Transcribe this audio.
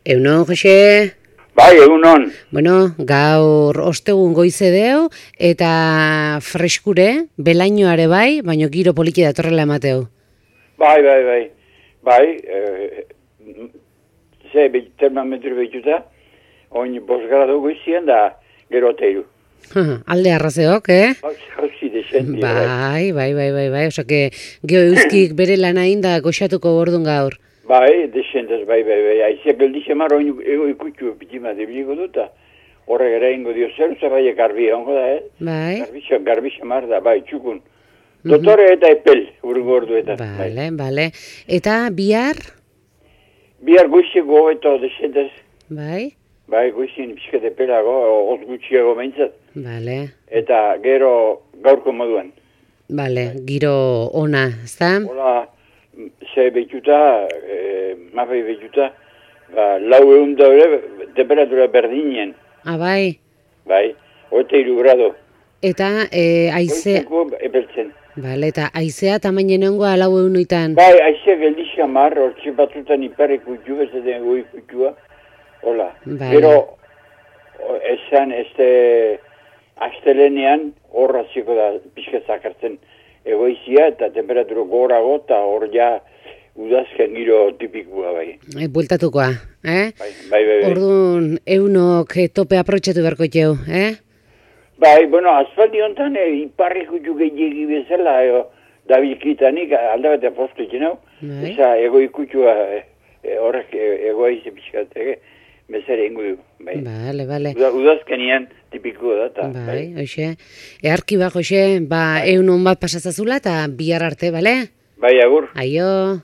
Eunon, Jose? Bai, egunon. Bueno, gaur ostegun goize deu, eta freskure, belainoare bai, baino giro poliki datorrela emateu. Bai. Termometro behituta, oin 5 gradu goizian da gero teiru. Alde arrazeok, Jauzi desenti. Bai, osake, geho euskik bere lana inda goxatuko gordun gaur. Bai, desentaz, bai. Aiziak geldixe mar, oin ego ikutxu pitima debiliko duta. Horrek ere ingo dio zeruza, bai, garbi ongo da, Bai. Garbi mar da, bai, txukun. Dotore eta epel, urgo orduetan. Bale. Eta bihar? Bihar goizeko eta desentaz. Bai. Bai, goizien pixkat epelago, oz gutxiago behintzat. Bale. Eta gero gaurko moduan. Bale, giro ona, ezta? Hola, ze behituta, mapei behituta, 400 da ere, temperatura berdinen. Bai. Bai, 23 grado. Eta aize... Goizeko epeltzen. Bale, eta aizea tamainen ongoa 400. Bai, aizea geldixia mar, hortxe batzutan ipare kutxu, ez den goi kutxua. Hola, gero, esan, astelenean horraziko da pixka zakartzen egoizia eta temperatura gorago eta hor ja udazken giro tipikua bai. Bueltatukoa, Bai. Orduan, eunok tope aprotxatu beharko txeu, Bai, bueno, asfalti honetan iparri kutxu gehiagi bezala dabilkitanik aldabete postu itxenau. Eza egoi kutxua horrek egoizi pixkat, bezere ingo du. Bale. Udazkenian tipikoa da. Bai, hoxe. Earki ba, Jose, eunon bat pasatzazula eta bihar arte, bale? Bai, agur. Aio.